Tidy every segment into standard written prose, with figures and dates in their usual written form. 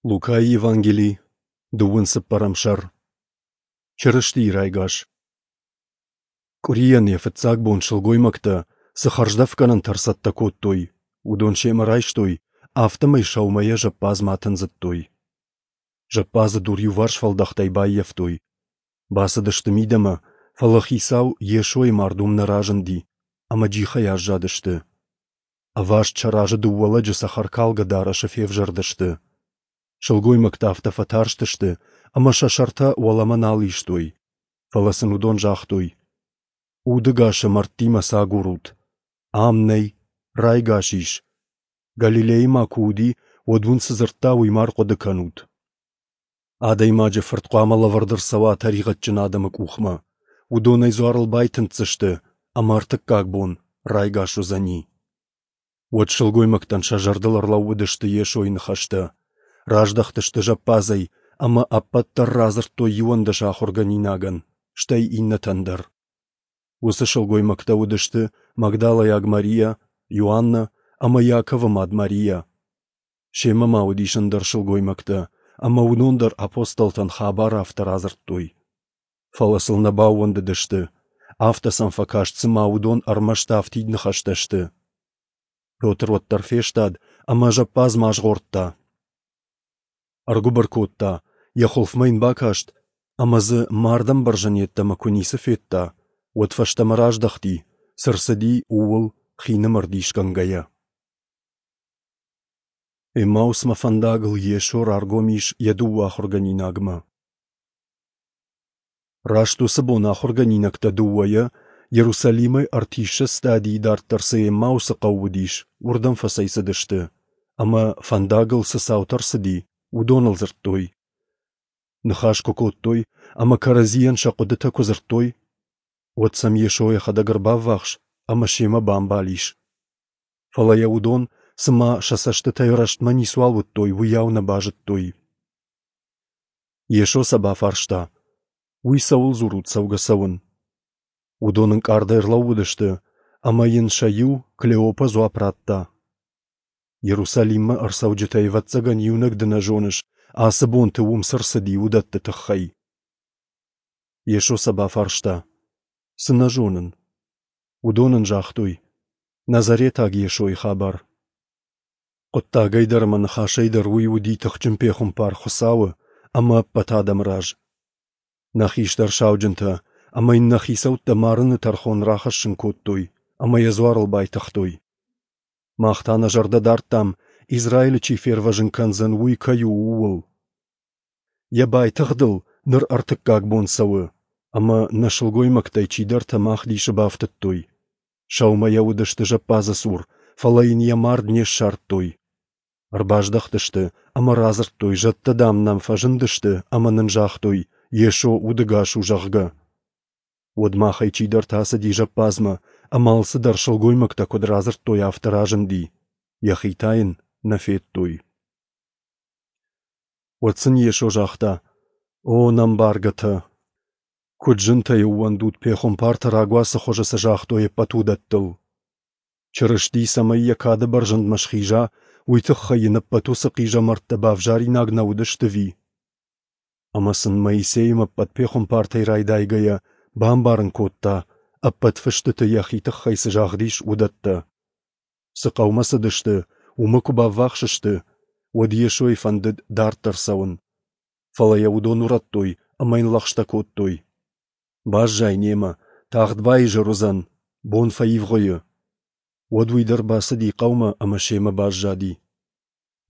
Лукайы Евангели, дыууын цыппӕрӕм сӕр. Чырыстийы райгас. Къуырийӕн йӕ фыццаг бон сылгоймӕгтӕ цы хӕрздӕфгӕнӕнтӕ ӕрцӕттӕ кодтой, уыдон семӕ райстой, афтӕмӕй сӕумӕйӕ зӕппадзмӕ атындзыдтой. Зӕппадзы дур иуварс фӕлдӕхтӕй баййӕфтой. Бацыдысты мидӕмӕ, фӕлӕ хицау Йесойы мард уым нӕ разынди, ӕмӕ джихӕй аззадысты. Ӕваст сӕ разы дыууӕ лӕджы цӕхӕркалгӕ дарӕсы февзӕрдысты. Сылгоймӕгтӕ афтӕ фӕтарстысты, ӕмӕ сӕ сӕртӕ уӕлӕмӕ нал истой. Фӕлӕ сын уыдон загътой: Удӕгасы мӕрдтимӕ цы агурут? Ам нӕй, райгас ис. Галилейы ма куы уыди, уӕд уын цы дзырдта, уый ма ӕрхъуыды кӕнут. Адӕймаджы фырт хъуамӕ лӕвӕрд ӕрцӕуа тӕригъӕдджын адӕмы къухмӕ. Уыдон ӕй дзуарыл байтындздзысты, ӕмӕ ӕртыккаг бон райгас уыдзӕни. Уӕд сылгоймӕгтӕн сӕ зӕрдыл ӕрлӕууыдысты Йесойы ныхӕстӕ. Раздӕхтысты зӕппадзӕй ӕмӕ ӕппӕт дӕр радзырдтой 11 ахуыргӕнинагӕн, стӕй иннӕтӕн дӕр. Уыцы сылгоймӕгтӕ уыдысты Магдалӕйаг Мария, Иоаннӕ ӕмӕ Иаковы мад Мария. Семӕ ма уыдис ӕндӕр сылгоймӕгтӕ, ӕмӕ уыдон дӕр апостолтӕн хабар афтӕ радзырдтой. Фӕлӕ сыл нӕ баууӕндыдысты. Афтӕ сӕм фӕкаст, цыма уыдон ӕрмӕст афтид ныхӕстӕ сты. Петр уӕддӕр фестад ӕмӕ зӕппадзмӕ азгъордта. Ӕргуыбыр кодта, йӕ хуылфмӕ йын бакаст, ӕмӕ дзы мардӕмбӕрзӕн йеддӕмӕ куы ницы федта, уӕд фӕстӕмӕ раздӕхти, цы рцыди, ууыл хинымӕр дисгӕнгӕйӕ. Эммаусмӕ фӕндагыл Йесо раргом ис йӕ дыууӕ ахуыргӕнинагмӕ. Раст уыцы бон ахуыргӕнинӕгтӕ дыууӕйӕ Иерусалимӕй ӕртиссӕдз стадийы дарддӕр цы Эммаусы хъӕу уыдис, уырдӕм фӕцӕйцыдысты, ӕмӕ фӕндагыл цы цаутӕ ӕрцыди, уыдоныл дзырдтой. Ныхас куы кодтой ӕмӕ кӕрӕдзийӕн сӕ хъуыдытӕ куы дзырдтой, уӕд сӕм Йесо йӕхӕдӕг ӕрбаввахс ӕмӕ семӕ бамбал ис. Фӕлӕ йӕ уыдон, цыма сӕ цӕстытӕй рӕстмӕ ницуал уыдтой, уыйау нӕ базыдтой. Йесо сӕ бафарста: Уый цӕуыл дзурут цӕугӕ-цӕуын? Уыдон ӕнкъардӕй ӕрлӕууыдысты, ӕмӕ йын сӕ иу, Клеопа, дзуапп радта: Иерусалиммӕ ӕрцӕуджытӕй, ӕвӕццӕгӕн, иунӕг ды нӕ зоныс, ацы бонты уым цы рцыди, уыдӕтты тыххӕй. Йесо сӕ бафарста: Цы нӕ зонын? Уыдон ын загътой: Назаретаг Йесойы хабар. Хъуыддагӕй дӕр ӕмӕ ныхасӕй дӕр уый уыди тыхджын пехуымпар Хуыцауы ӕмӕ ӕппӕт адӕмы раз. Нӕ хистӕр сауджынтӕ ӕмӕ йын нӕ хицӕуттӕ марыны тӕрхон рахӕссын кодтой ӕмӕ йӕ дзуарыл байтыгътой. Мах та нӕ зӕрдӕ дардтам, Израилы чи фервӕзын кӕндзӕн, уый кӕй у, ууыл. Йӕ байтыгъдыл ныр ӕртыккаг бон цӕуы, ӕмӕ нӕ сылгоймӕгтӕй чидӕртӕ мах дисы бафтыдтой. Сӕумӕйӕ уыдысты зӕппадзы цур, фӕлӕ йын йӕ мард не ссардтой. Ӕрбаздӕхтысты ӕмӕ радзырдтой, зӕдтӕ, дам, нӕм фӕзындысты ӕмӕ нын загътой, Йесо удӕгас у, зӕгъгӕ. Уӕд махӕй чидӕртӕ ацыди зӕппадзмӕ, ӕмӕ алцыдӕр сылгоймӕгтӕ куыд радзырдтой, афтӕ разынди, йӕхи та йын нӕ федтой. Уӕд сын Йесо загъта: О, нӕмбаргӕтӕ! Куыд зынтӕй ӕууӕндут пехуымпартӕ рагуацы хуызы цы загътой, ӕппӕт уыдӕттыл! Чырысти цӕмӕй йӕ кады бӕрзӕндмӕ схиза, уый тыххӕй йын ӕппӕт уыцы хъизӕмӕрттӕ бавзаринаг нӕ уыдысты ӕви? Ӕмӕ сын Моисеимӕ ӕппӕт пехуымпартӕй райдайгӕйӕ бамбарын кодта, ӕппӕт фыстыты йӕхи тыххӕй цы загъд ис, уыдӕттӕ. Цы хъӕумӕ цыдысты, уымӕ куы баввахс сты, уӕд Йесойы фӕндыд дарддӕр цӕуын. Фӕлӕ йӕ уыдон урӕдтой ӕмӕ йын лӕгъстӕ кодтой: Баззай немӕ, тагъд баизӕр уыдзӕн, бон фӕивгъуыйы. Уӕд уый дӕр бацыди хъӕумӕ ӕмӕ семӕ баззади.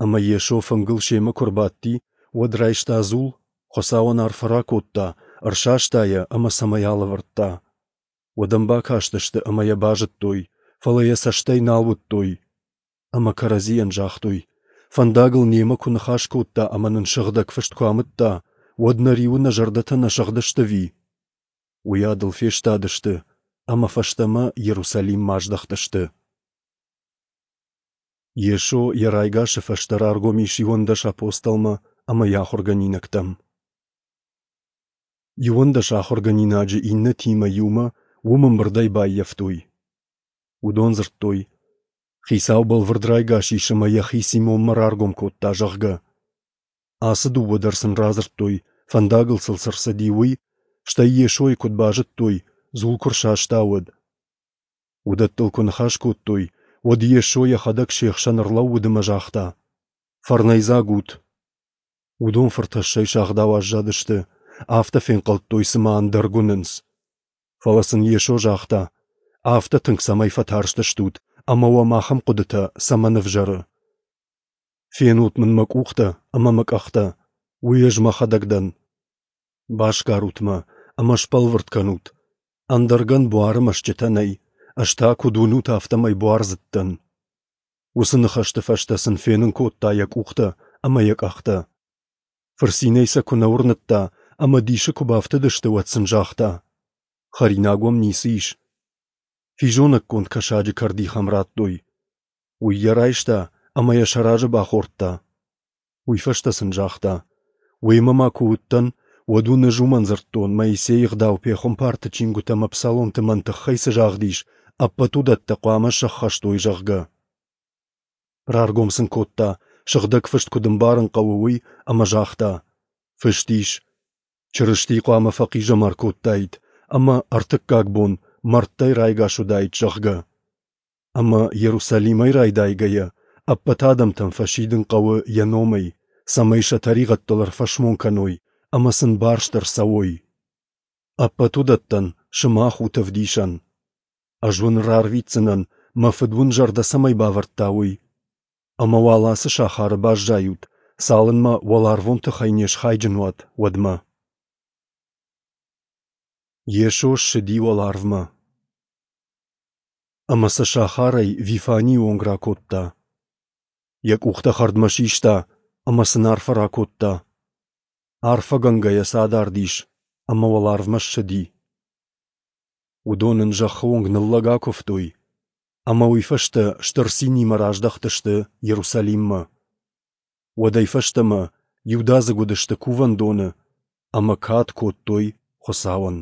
Ӕмӕ Йесо фынгыл семӕ куы ӕрбадти, уӕд райста дзул, Хуыцауӕн арфӕ ракодта, ӕрсаста йӕ ӕмӕ цӕмӕй алӕвӕрдта. Уӕд ӕм бакастысты ӕмӕ йӕ базыдтой, фӕлӕ йӕ цӕстӕй нал уыдтой. Ӕмӕ кӕрӕдзийӕн загътой: Фӕндагыл немӕ куы ныхас кодта ӕмӕ нын сыгъдӕг фыст куы амыдта, уӕд нӕ риуы нӕ зӕрдӕтӕ нӕ сыгъдысты ӕви? Уыйадыл фестадысты ӕмӕ фӕстӕмӕ Иерусалиммӕ аздӕхтысты. Йесо йӕ райгасы фӕстӕ раргом ис 11 апостолмӕ ӕмӕ йӕ ахуыргӕнинӕгтӕм. 11 ахуыргӕнинаджы иннӕтимӕ иумӕ уым ӕмбырдӕй баййӕфтой. Уыдон дзырдтой: Хицау бӕлвырд райгас ис ӕмӕ йӕхи Симонмӕ раргом кодта, зӕгъгӕ. Ацы дыууӕ дӕр сын радзырдтой, фӕндагыл сыл цы рцыди, уый, стӕй Йесойы куыд базыдтой, дзул куы рсаста, уӕд. Уыдӕттыл куы ныхас кодтой, уӕд Йесо йӕхӕдӕг се хсӕн ӕрлӕууыд ӕмӕ загъта: Фӕрнӕйдзаг ут! Уыдон фыртӕссӕй сагъдау аззадысты, афтӕ фенхъӕлдтой, цыма ӕндӕрг уынынц. Фӕлӕ сын Йесо загъта: Афтӕ тынг цӕмӕй фӕтарстыстут, ӕмӕ уӕм ахӕм хъуыдытӕ цӕмӕн ӕвзӕры? Фенут мын мӕ къухтӕ ӕмӕ мӕ къӕхтӕ, уый ӕз мӕхӕдӕг дӕн. Басгарут мӕ ӕмӕ сбӕлвырд кӕнут, ӕндӕргӕн буары мӕсчъытӕ нӕй, ӕз та, куыд уынут, афтӕмӕй буардзыд дӕн. Уыцы ныхӕсты фӕстӕ сын фенын кодта йӕ къухтӕ ӕмӕ йӕ къӕхтӕ. Фырцинӕй сӕ куы нӕ уырныдта ӕмӕ дисы куы бафтыдысты, уӕд сын загъта: Хӕринаг уӕм ницы ис? Физонӕггонд кӕсаджы кӕрдих ӕм радтой. Уый йӕ райста ӕмӕ йӕ сӕ разы бахордта. Уый фӕстӕ сын загъта: Уемӕ ма куы уыдтӕн, уӕд уын ӕз уымӕн дзырдтон, Моисейы ӕгъдау пехуымпарты чингуытӕ ӕмӕ псаломты мӕн тыххӕй цы загъд ис, ӕппӕт уыдӕттӕ хъуамӕ сӕххӕст уой, зӕгъгӕ. Раргом сын кодта, Сыгъдӕг Фыст куыд ӕмбарын хъӕуы, уый, ӕмӕ загъта: Фыст ис, Чырысти хъуамӕ фӕхъизӕмар кодтаид ӕмӕ ӕртыккаг бон мӕрдтӕй райгас уыдаид, зӕгъгӕ. Ӕмӕ Иерусалимӕй райдайгӕйӕ, ӕппӕт адӕмтӕм фӕсидын хъӕуы йӕ номӕй, цӕмӕй сӕ тӕригъӕдтыл ӕрфӕсмон кӕной ӕмӕ сын барст ӕрцӕуой. Ӕппӕт уыдӕттӕн сымах ут ӕвдисӕн. Ӕз уын рарвитдзынӕн, мӕ Фыд уын зӕрдӕ цӕмӕй бавӕрдта, уый. Ӕмӕ уал ацы сахары баззайут, цалынмӕ уӕларвон тыхӕй не схайджын уат, уӕдмӕ. Йесо ссыди уӕларвмӕ. Ӕмӕ сӕ сахарӕй Вифанийы онг ракодта. Йӕ къухтӕ хӕрдмӕ систа ӕмӕ сын арфӕ ракодта. Арфӕгӕнгӕйӕ сӕ адард ис ӕмӕ уӕларвмӕ ссыди. Уыдон ын зӕххы онг ныллӕг акуывтой, ӕмӕ уый фӕстӕ стыр цинимӕ раздӕхтысты Иерусалиммӕ. Уӕдӕй фӕстӕмӕ иудадзыг уыдысты кувӕндоны ӕмӕ кад кодтой Хуыцауӕн.